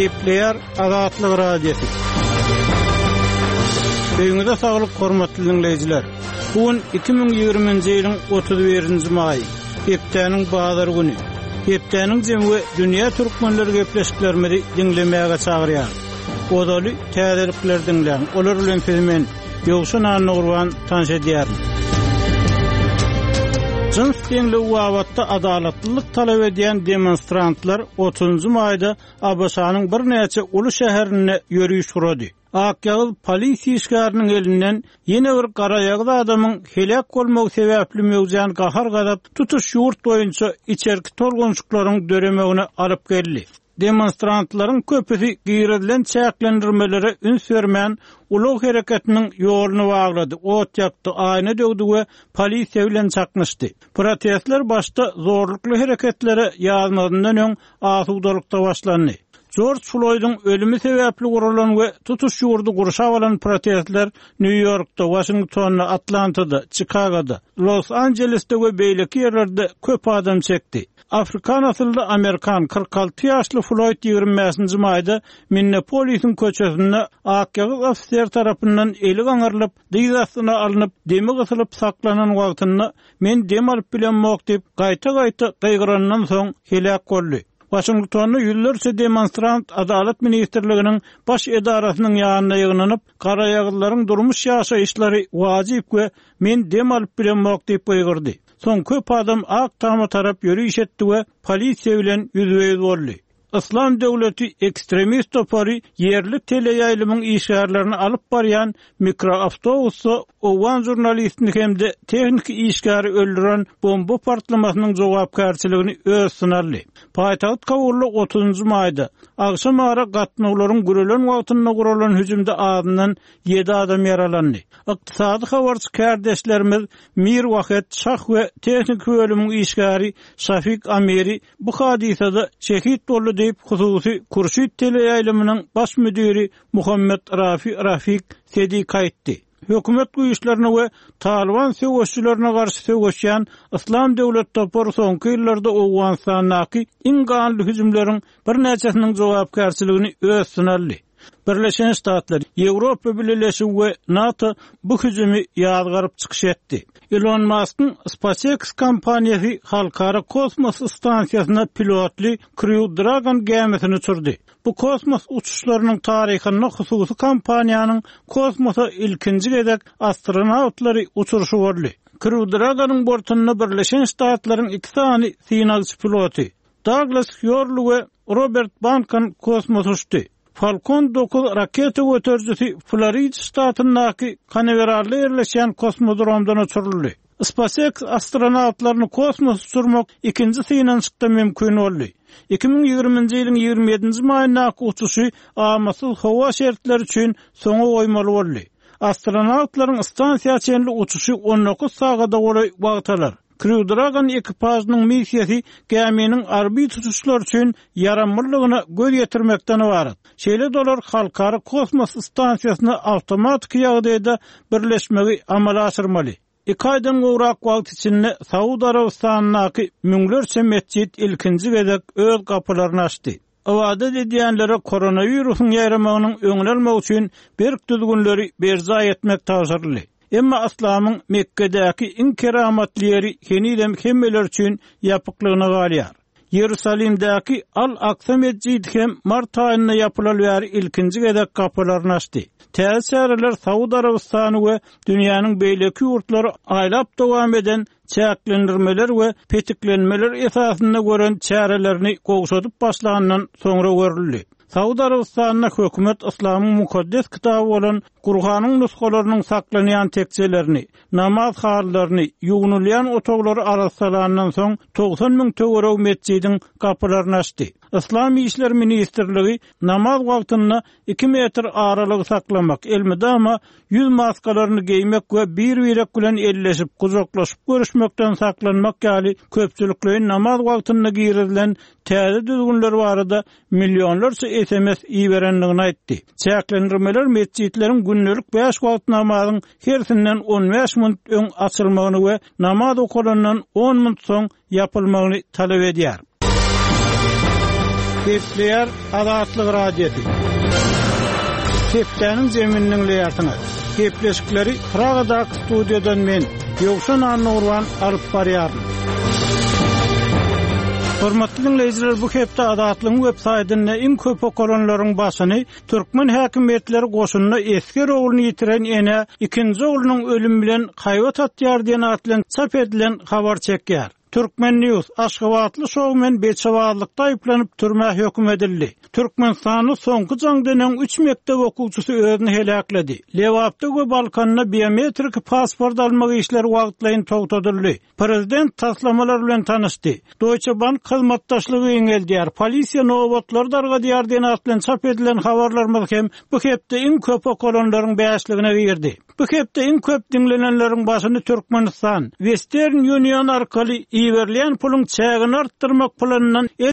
Gepleýär Azatlyk Radiosy. Öýüňize saglyk hormatly diňleýjiler. Bu gün 2020-nji ýylyň 31-nji maýy, hepdäniň bazar güni. Hepdäniň jemi we dünýä türkmenleri gepleşiklerimizi diňlemäge çagyrýar. Ozaly täzelikleri diňläň, olar bilen sizi men, Ýowşan Annagurban tanyş edýärin. Jyns deňligi babatda adalatlylyk talap edýän demonstrantlar otuzynjy maýda ABŞ-nyň birnäçe uly şäherinde ýöriş gurady. Akýagyz polisiýa işgäriniň elinden ýene bir garaýagyz adamyň heläk bolmagy sebäpli möwjän gahar-gazap tutuş ýurt boýunça içerki tolgunşyklaryň döremegine alyp geldi. Demonstrantlaryň köpüsi girizilen çäklendirmelere üns bermän, ulag hereketiniň ýoluny baglady, ot ýakdy, aýna döwdi we polisiýa bilen çaknyşdy. Protestler başda zorlukly hereketlere ýazmazyndan öň asudalykda başlandy. Jorj Floýdyň ölümi sebäpli guralan we tutuş ýurdy gurşap alan protestler Nýu-Ýorkda, Waşingtonda, Atlantada, Çikagoda, Los-Anjelesde we beýleki ýerlerde köp adam çekdi. Afrikan asylly amerikan, 46 ýaşly Floýd 25-nji maýda Minneapolisiň köçesinde akýagyz ofiser tarapyndan eli gaňrylyp, dyz astyna alnyp, demi gysylyp saklanan wagtynda, Men dem alyp bilemok diýip, gaýta-gaýta gygyrandan soň heläk boldy. Waşingtonda ýüzlerçe demonstrant Adalat ministrliginiň baş edarasynyň ýanyna ýygnanyp, garaýagyzlaryň durmuş ýaşaýyşlary wajyp we men dem alyp bilemok diýip gygyrdy. Soň köp adam Ak Tama tarap ýöriş etdi we polisiýa bilen ýüzbe-ýüz boldy. Yslam döwleti ekstremist topary ýerli teleýaýlymyň işgärlerini alyp barýan mikroawtobusda owgan žurnalistini hem-de tehniki işgäri öldüren bomba partlamasynyň jogapkärçiligini öz üstüne aldy. Paýtagt Kabulda otuzynjy maýda, agşamara gatnawlaryň gürelen wagtynda guralan hüjümde azyndan ýedi adam ýaralandy. Ykdysady habarçy kärdeşlerimiz Mir Wahed Şah we tehniki bölümiň işgäri Şafik Amiri bu hadysada şehit boldy diýip, hususy Kurşid teleýaýlymynyň baş müdiri Muhammed Rafi Rafik Sedik aýtdy. Hökümet güýçlerine we Talyban söweşçilerine garşy söweşýän Yslam döwlet topary soňky ýyllarda Owganystandaky iň ganly hüjümleriň birnäçesiniň jogapkärçiligini öz üstüne aldy. Birleşen Ştatlar, Ýewropa Bileleşigi we NATO bu hüjümi ýazgaryp çykyş etdi. Ilon Maskyň SpaceX kompaniýasy Halkara kosmos stansiýasyna pilotly Crew Dragon gämisini uçurdy. Bu kosmos uçuşlarynyň taryhynda hususy kompaniýanyň kosmosa ilkinji gezek astronawtlary uçuryşy boldy. Crew Dragon-yň bortunda Birleşen Ştatlaryň iki sany synagçy piloty, Daglas Hýorli we Robert Bankan kosmosa uçdy. Falcon 9 raketa göterijisi Florida ştatyndaky Kanaweralda ýerleşýän kosmodromdan uçuryldy. SpaceX astronawtlaryny kosmosa uçurmak ikinji synanyşykda mümkin boldy. 2020-nji ýylyň 27-nji maýyndaky uçuşy amatsyz howa şertleri üçin soňa goýmaly boldy. Astronawtlaryň stansiýa çenli uçuşy 19 sagada golaý wagt alar. Crew Dragon ekipažynyň missiýasy gäminiň orbit uçuşlary üçin ýaramlylygyna göz ýetirmekden ybarat. Şeýle-de olar Halkara kosmos stansiýasyna awtomatiki ýagdaýda birleşmegi amala aşyrmaly. Iki aýdan gowrak wagt içinde Saud Arabystanyndaky müňlerçe metjit ilkinji gezek öz gapylaryny açdy. Ybadat edýänlere koronawirusyň ýaýramagynyň öňüni almak üçin berk düzgünleri berjaý etmek tabşyryldy. Emma yslamyň Mekgedäki iň keramatly ýeri henizem hemmeler üçin ýapyklygyna galýar. Iýerusalimdäki Al-Aksa metjidi hem mart aýynda ýapylaly bäri ilkinji gezek gapylaryny açdy. Täze çäreler Saud Arabystany we dünýäniň beýleki ýurtlary aýlap dowam eden çäklendirmeler we petiklenmeler esasynda gören çärelerini gowşadyp başlandan soňra görüldi. Saud Arabystanynda hökümet yslamyň mukaddes kitaby bolan Gurhanyň nusgalarynyň saklanýan tekjelerini, namaz halylaryny, ýuwnulýan otaglary arassalandan soň 90 müň töweregi metjidiň gapylaryny açdy. Yslam işleri ministrligi namaz wagtynda iki metr aralygy saklamak, elmydama ýüz maskalaryny geýmek we bir-birek bilen elleşip, gujaklaşyp görüşmekden saklanmak ýaly köpçülikleýin namaz wagtynda girizilen täze düzgünler barada millionlarça sms iberendigini aýtdy. Çäklendirmeler metjitleriň gündelik bäş wagt namazyň hersinden 15 minut öň açylmagyny we namaz okalandan on minut soň ýapylmagyny talap edýär. Gepleýär Azatlyk Radiosy. Hepdäniň jemini diňleýärsiňiz. Gepleşikleri Pragadaky studiýadan men, Ýowşan Annagurban alyp barýaryn. Hormatly diňleýjiler, bu hepde Azatlygyň web saýtynda iň köp okalanlaryň başyny türkmen häkimiýetleri goşunda esger ogluny ýitiren ene ikinji oglunyň ölümi bilen haýbat atýar diýen at bilen çap edilen habar çekýär. Turkmen. News, Aşgabatly şoumen beçebazlykda aýyplanyp türmä höküm edildi. Türkmenistanda soňky jaňdan öň üç mekdep okuwçysy özüni heläkledi. Lebapda we Balkanda biometrik pasport almak işleri wagtlaýyn togtadyldy. Prezident taslamalar bilen tanyşdy. Deutsche Bank hyzmatdaşlygy giňeldýär, polisiýa nobatlary dargadýar diýen at bilen çap edilen habarlarymyz hem bu hepde iň köp okalanlaryň bäşligine girdi. Bu hepde iň köp diňlenenleriň başyny Türkmenistan, Western Union arkaly iberilýän puluň çägini artdyrmak planyndan el.